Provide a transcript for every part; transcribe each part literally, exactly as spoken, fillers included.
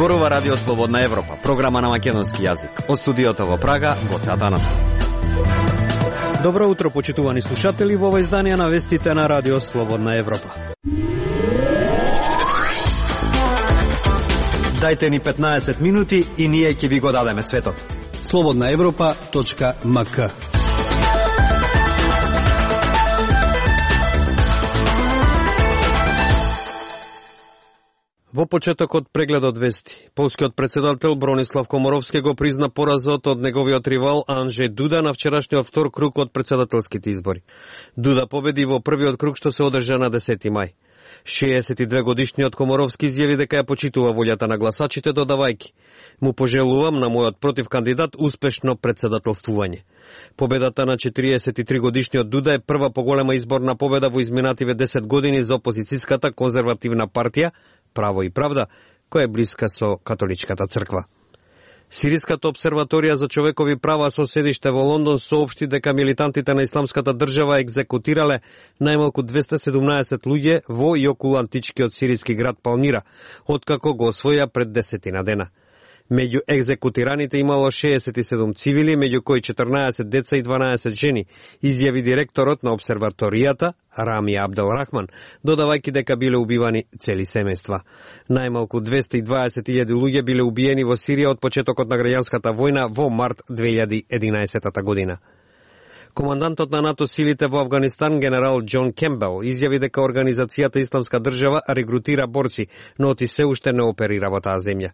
Зборува Радио Слободна Европа, програма на македонски јазик. Од студиото во Прага, Гоце Атанасов. Добро утро, почитувани слушатели, во ова издание на вестите на Радио Слободна Европа. Дајте ни петнаесет минути и ние ќе ви го дадеме светот. слободна европа точка ем ка. Во почетокот прегледот вести, полскиот претседател Бронислав Комаровски го призна поразот од неговиот ривал Анджеј Дуда на вчерашниот втор круг од претседателските избори. Дуда победи во првиот круг што се одржа на десети мај. шеесет и две годишниот Комаровски изјави дека ја почитува волјата на гласачите, додавајќи: му пожелувам на мојот против кандидат успешно претседателствување. Победата на четириесет и три годишниот Дуда е прва поголема изборна победа во изминативе десет години за опозицијската конзервативна партија Право и правда, која е блиска со католичката црква. Сириската обсерваторија за човекови права со седиште во Лондон соопшти дека милитантите на исламската држава екзекутирале најмалку двесте и седумнаесет луѓе во и околу античкиот сириски град Палмира, откако го освоја пред десетина дена. Меѓу екзекутираните имало шеесет и седум цивили, меѓу кои четрнаесет деца и дванаесет жени, изјави директорот на обсерваторијата Рами Абдел Рахман, додавајќи дека биле убивани цели семејства. Најмалку двесте и дваесет илјади луѓе биле убиени во Сирија од почетокот на граѓанската војна во март две илјади и единаесета година. Командантот на НАТО силите во Авганистан, генерал Џон Кембел, изјави дека организацијата Исламска држава регрутира борци, но оти се уште не оперира во таа земја.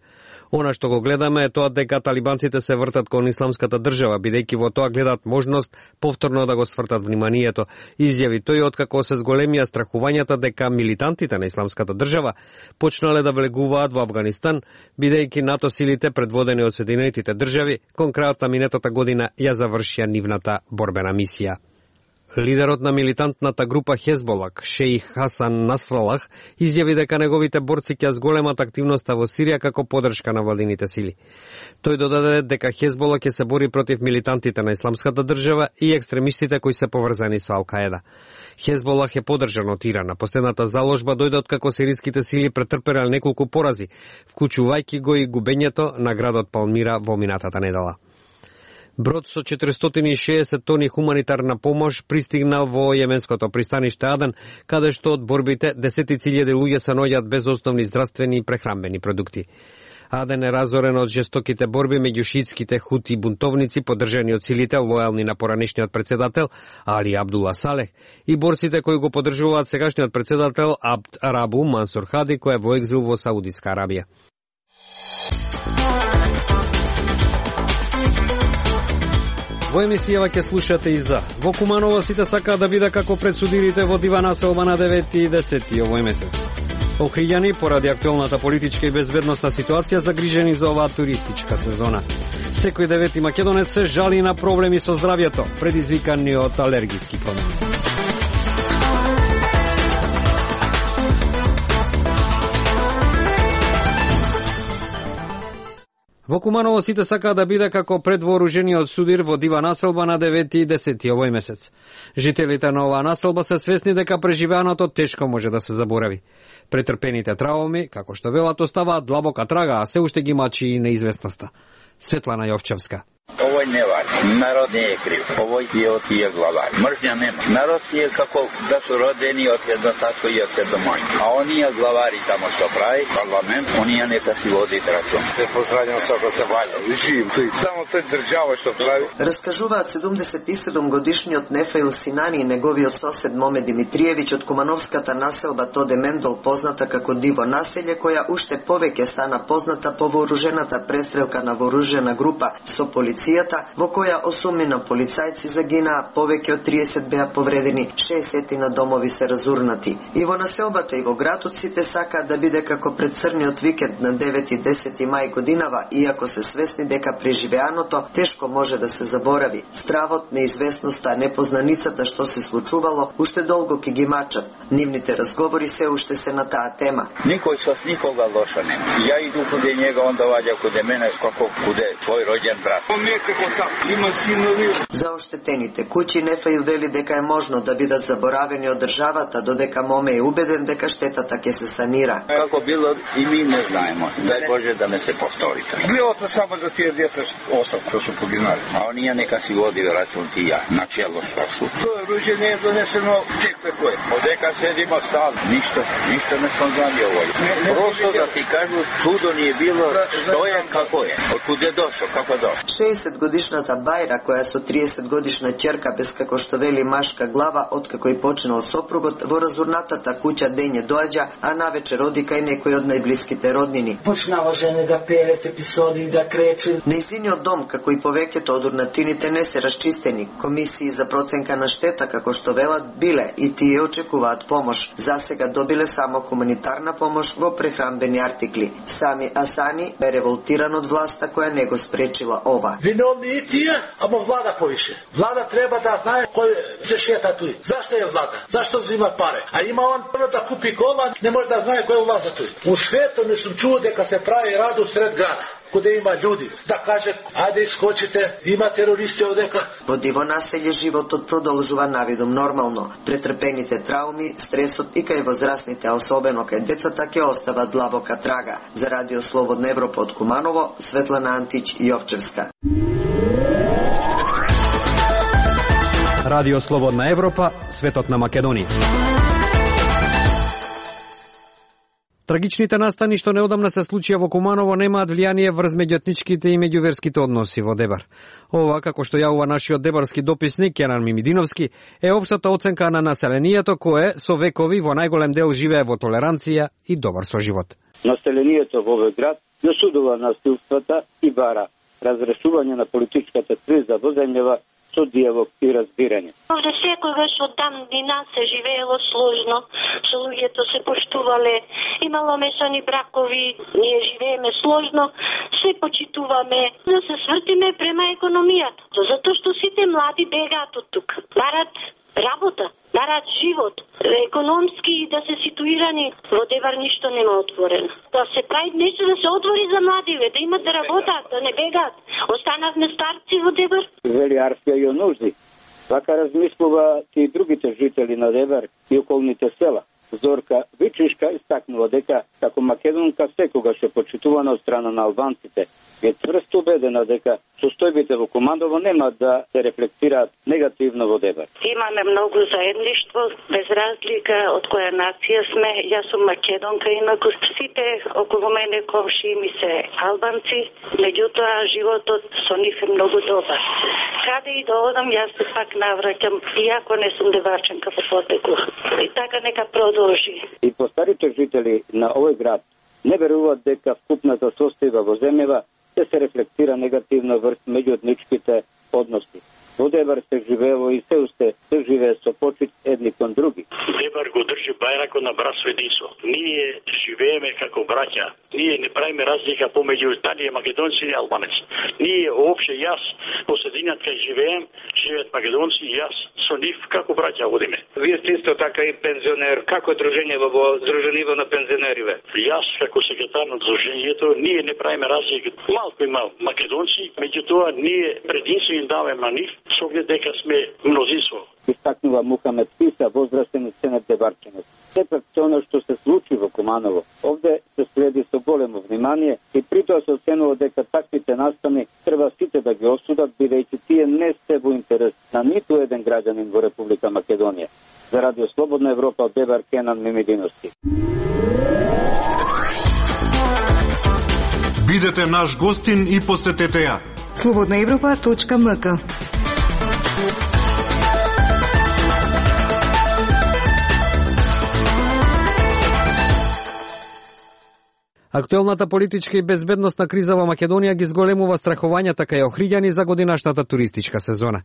Она што го гледаме е тоа дека талибанците се вртат кон Исламската држава, бидејќи во тоа гледат можност повторно да го свртат вниманието, изјави тој откако се зголемија страхувањата дека милитантите на Исламската држава почнале да влегуваат во Авганистан, бидејќи НАТО силите предводени од Соединетите држави кон крајот на минатата година ја завршија нивната борбена мисија. Лидерот на милитантната група Хезболак, Шејх Хасан Насралах, изјави дека неговите борци ќе зголемат активноста во Сирија како поддршка на владините сили. Тој додаде дека Хезболак ќе се бори против милитантите на Исламската држава и екстремистите кои се поврзани со Ал-Каеда. Хезболах е поддржан од Иран. Последната заложба дојде од како сириските сили претрпеле неколку порази, вклучувајќи го и губењето на градот Палмира во минатата недела. Брод со четиристотини и шеесет тони хуманитарна помош пристигнал во јеменското пристаниште Аден, каде што од борбите десетици илјади луѓе се наоѓаат без основни здравствени и прехранбени продукти. Аден е разорен од жестоките борби меѓу шиитските хути бунтовници, поддржани од силите лојални на поранешниот претседател Али Абдула Салех и борците кои го поддржуваат сегашниот претседател Абд Рабу Мансур Хади, кој е во екзил во Саудиска Арабија. Во емисијава ќе слушате и за: во Куманово сите сакаат да биде како предсудирите во дива населба на девети и десети овој месец. Охриѓани поради актуелната политичка и безбедносна ситуација загрижени за оваа туристичка сезона. Секој девети македонец се жали на проблеми со здравјето, предизвикани од алергиски промени. Во Куманово сите сакаат да биде како предвооружениот судир во дива населба на девети и десети овој месец. Жителите на оваа населба се свесни дека преживеаното тешко може да се заборави. Претрпените травми, како што велат, оставаат длабока трага, а се уште ги мачи и неизвестноста. Светлана Јовчевска. Овој не вали. Народ не е крив. Овој е од тие главари. Мржња нема. Народ е како да су родени од едно татко и од едно мајка. А оние главари тамо што прави парламент, оние нека си водит рачун. Се поздравljam сако се ваља. Живим тој. Само тој држава што прави. Раскажуваат седумдесет и седум годишниот Нефаил Синани и неговиот сосед Моме Димитриевиќ од Кумановската населба Тоде Мендол, позната како Диво населје, која уште повеќе стана позната по вооружената престрелка на вооружена група со полиција, во која осумина полицајци загинаа, повеќе од триесет беа повредени, шеесет на домови се разурнати. И во населбата и во градот сите сакаат да биде како пред црниот викенд на девети и десети мај годинава, иако се свесни дека преживеаното тешко може да се заборави. Стравот, неизвестноста, непознаницата што се случувало, уште долго ќе ги мачат. Нивните разговори се уште се на таа тема. Никој со никога лоша нема. Ја иду куде njega, он доаѓа куде мене, како куде твој роѓен брат. Има синови. За оштетените куќи Нефаил вели дека е можно да бидат заборавени од државата, додека Моме е убеден дека штетата ќе се санира. Како било и ми не знаемо. Дај Боже да не се повтори. Било се само за тие деца осам кои се погинали. А оние нека си води рачун тија, начело што. Тоа оружје не е донесено тек тако е. Одека седимо стал, ништо, ништо не сум знали овој. Просто да ти кажу, чудо ни е било, што е, како е. Од куде дошо, како дошо. шеесет годишната Бајра, која со триесет годишна ќерка без како што вели машка глава, откако и починал сопругот, во разурнатата куќа дење доаѓа, а навечер оди кај некој од најблиските роднини. Почнава жене да пеят епизоди, да крече. Нејзиниот дом, како и повеќето од урнатините, не се расчистени. Комисии за проценка на штета, како што велат, биле и тие очекуваат помош. Засега добиле само хуманитарна помош во прехранбени артикли. Сами Асани бе револтиран од власта која не го спречила ова. Виновни и тие, ама влада повише. Влада треба да знае кој се шета туј. Зашто е влада? Зашто взима пари? А има он да купи кола, не може да знае кој влаза туј. У светот не сум чуo дека се прави радо сред града, каде има луѓе, да каже, ајде искочите, има терористи одека. Во диво населје животот продолжува навидум нормално. Претрпените трауми, стресот и кај возрастните, а особено кај децата, ќе остават длабока трага. За Радио Слободна Европа од Куманово, Светлана Антич, Јовчевска. Радио Слободна Европа, светот на Македонија. Трагичните настани што неодамна се случија во Куманово немаат влијание врз меѓуетничките и меѓуверските односи во Дебар. Ова, како што јавува нашиот дебарски дописник Кенан Мимидиновски, е општата оценка на населението кое со векови во најголем дел живее во толеранција и добар соживот. Населението во овој град засудува насилствата и бара разрешување на политичката криза во земјава со дијалог и разбирање. Овде секогаш од давнина се живеело сложно, со луѓето се поштувале, имало мешани бракови, ние живееме сложно, се почитуваме, да се свртиме према економијата, затоа што сите млади бегаат од тук, барат работа, барат живот, економски и да се ситуирани. Во Дебар ништо нема отворено. Да се прави нешто да се отвори за младиве, да имат да работат, да не бегаат. Останавме старци во Дебар. Вели Арфија Јонужди. Вака размислува и другите жители на Дебар и околните села. Зорка Вичишка истакнува дека како македонка секогаш е почитувана од страна на албанците. Е тврсто убедена дека состојбите во Куманово нема да се рефлектираат негативно во Дебар. Имаме многу заедништво, без разлика од која нација сме. Јас сум македонка, инаку сите околу мене комшии ми се албанци, меѓутоа животот со нив е многу добар. Каде и да одам, јас се пак навраќам, иако не сум деварченка по потекло. И така нека продолжи. И постарите жители на овој град не веруваат дека вкупната состојба во земјава се се рефлектира негативно врз меѓуетничките односи. Во Дебар се живеело и се усте се живее со почит едни кон други. Дебар го држи бајракот на братство и единство. Ние живееме како браќа. Ние не правиме разлика помеѓу дали македонци и албанеци. Ние опште јас по средината кај живеем, живеат македонци и јас со нив како браќа водиме. Вие сте исто така и пензионер. Како дружење во Сдружениво на пензионериве? Јас како секретар на дружењето, ние не правиме разлика. Малку има македонци, меѓутоа ние прединство им даваме на нив, со оглед дека сме мнозинство. Истакнува Мухамед Писа, возрастен сценет Дебарчанец. Сепак тоа што се случи во Куманово, овде се следи со големо внимание и притоа се оценува дека таквите настани треба сите да ги осудат, бидејќи тие не се во интерес на ниту еден граѓанин во Република Македонија. За Радио Слободна Европа од Дебар, Кенан Мимидиновски. Бидете наш гостин и посетете ја. слободна европа точка ем ка. Актуелната политичка и безбедносна криза во Македонија ги зголемува страхувањата кај охриѓани за годинашната туристичка сезона.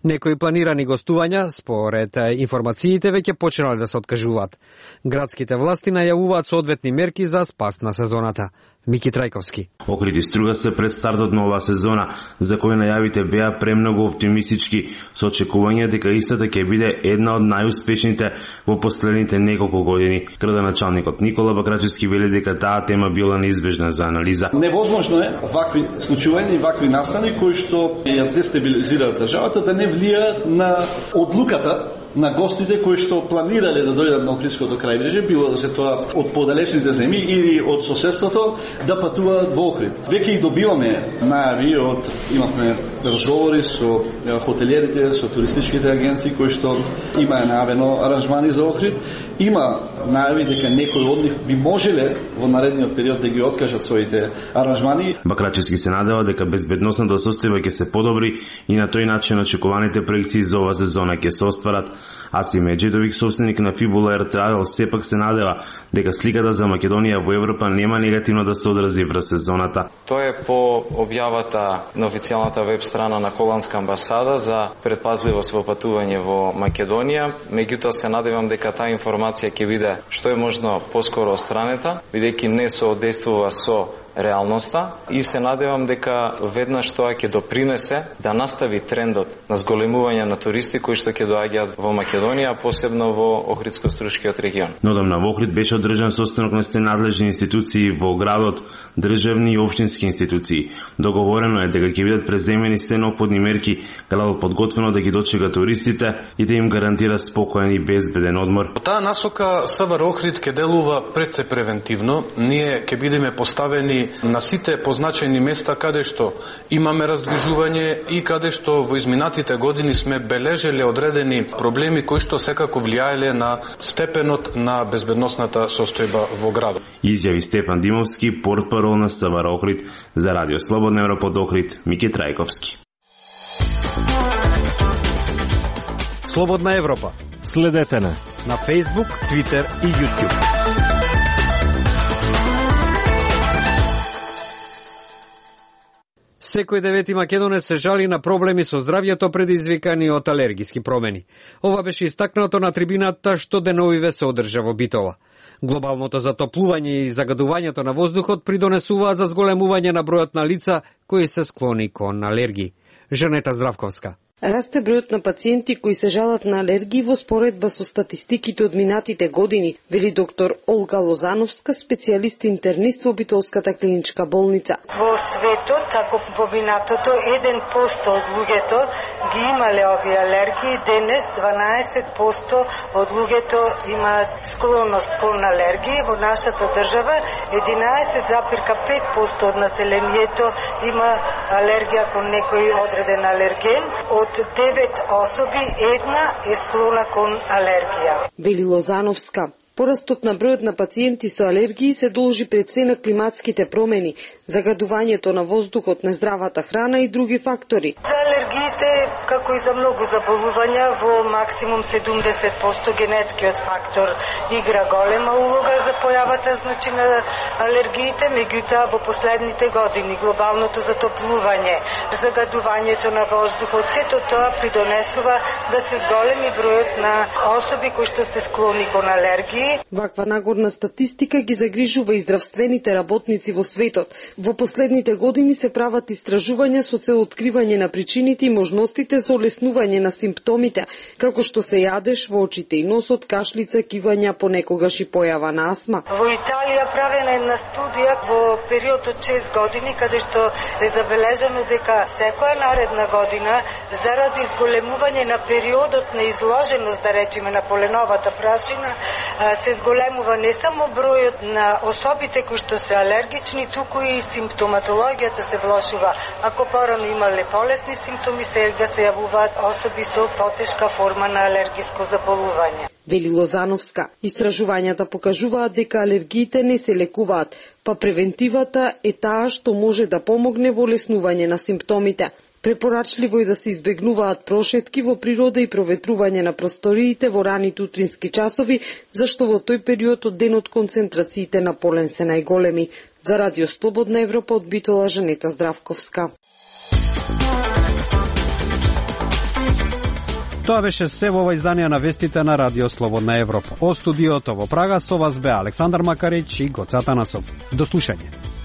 Некои планирани гостувања, според информациите, веќе почнале да се откажуваат. Градските власти најавуваат соодветни мерки за спас на сезоната. Мики Трајковски. Охрид и Струга се пред стартот на оваа сезона, за кој најавите беа премногу оптимистички, со очекување дека истата ќе биде една од најуспешните во последните неколку години. Градоначалникот Никола Бакрачевски вели дека таа тема била неизбежна за анализа. Невозможно е вакви случувања и вакви настани кои што ја дестабилизираат државата да не влијаат на одлуката на гостите кои што планирале да дојдат на Охридското крајбрежје, било да се тоа од подалечните земји или од соседството, да патуваат во Охрид. Веќе и добиваме најави од, имавме разговори со хотелиерите, со туристичките агенции кои што има најавено аранжмани за Охрид. Има најави дека некои од нив би можеле во наредниот период да ги откажат своите аранжмани. Бакрачевски се надева дека безбедносната состојба ќе се подобри и на тој начин очекуваните проекции за оваа сезона ќе се остварат. Асим Меджидовик, собственик на Фибула Air Travel, сепак се надева дека сликата за Македонија во Европа нема негативно да се одрази врз сезоната. Тоа е по објавата на официјалната веб страна на Холандска амбасада за предпазливост во патување во Македонија. Меѓутоа се надевам дека таа информација ќе биде што е можно поскоро отстранета, бидејќи не соодействува со реалноста, и се надевам дека веднаш тоа ќе допринесе да настави трендот на зголемување на туристи кои што ќе доаѓаат во Македонија, посебно во Охридско-Струшкиот регион. Нодамна во Охрид беше одржан состанок на сте надлежни институции во градот, државни и општински институции. Договорено е дека ќе бидат преземени сте неопходни мерки, градот подготвено да ги дочека туристите и да им гарантира спокоен и безбеден одмор. По таа насока СВР Охрид ќе делува пред се превентивно. Ние ќе бидеме поставени на сите позначени места каде што имаме раздвижување и каде што во изминатите години сме бележеле одредени проблеми кои што секако влијаеле на степенот на безбедносната состојба во градот. Изјави Стефан Димовски, портпарол на СВР Охрид. За Радио Слободна Европа од Охрид, Мики Трајковски. Слободна Европа. Следете на на Facebook, Twitter и YouTube. Секој девети македонец се жали на проблеми со здравјето предизвикани од алергиски промени. Ова беше истакнато на трибината што деновиве се одржа во Битола. Глобалното затоплување и загадувањето на воздухот придонесуваат за зголемување на бројот на лица кои се склони кон алергии. Жанета Здравковска. Расте бројот на пациенти кои се жалат на алергии во споредба со статистиките од минатите години, вели доктор Олга Лозановска, специјалист интернист во Битолската клиничка болница. Во светот, ако во минатото еден процент од луѓето ги имале овие алергии, денес дванаесет проценти од луѓето имаат склонност кон алергии. Во нашата држава единаесет зарез пет проценти од населението има алергија кон некој одреден алерген. Од девет особи, една е склона кон алергија. Вели Лозановска. Порастот на бројот на пациенти со алергии се должи пред се на климатските промени, загадувањето на воздухот, нездравата храна и други фактори. За алергиите, како и за многу заболувања, во максимум седумдесет проценти генетскиот фактор игра голема улога за појавата значи на алергиите, меѓутоа во последните години глобалното затоплување, загадувањето на воздухот, сето тоа придонесува да се зголеми бројот на особи кои што се склони кон алергии. Ваква нагорна статистика ги загрижува и здравствените работници во светот. Во последните години се прават истражувања со цел откривање на причините и можностите за олеснување на симптомите, како што се јадеш во очите и носот, кашлица, кивања, понекогаш и појава на астма. Во Италија правена една студија во период од шест години, каде што е забележано дека секоја наредна година, заради зголемување на периодот на изложеност, да речеме, на поленовата прашина, се зголемува не само бројот на особите кои што се алергични, туку и симптоматологијата се влошува. Ако порано имале полесни симптоми, сега се јавуваат особи со потешка форма на алергиско заболување. Вели Лозановска. Истражувањата покажуваат дека алергиите не се лекуваат, па превентивата е таа што може да помогне во олеснување на симптомите. Препорачливо е да се избегнуваат прошетки во природа и проветрување на просториите во раните утрински часови, зашто во тој период од денот концентрациите на полен се најголеми. За Радио Слободна Европа од Битола, Жанета Здравковска. Тоа беше се во ова издание на вестите на Радио Слободна Европа. Од студиото во Прага со вас бе Александар Макарич и Гоца Танасов. До слушање.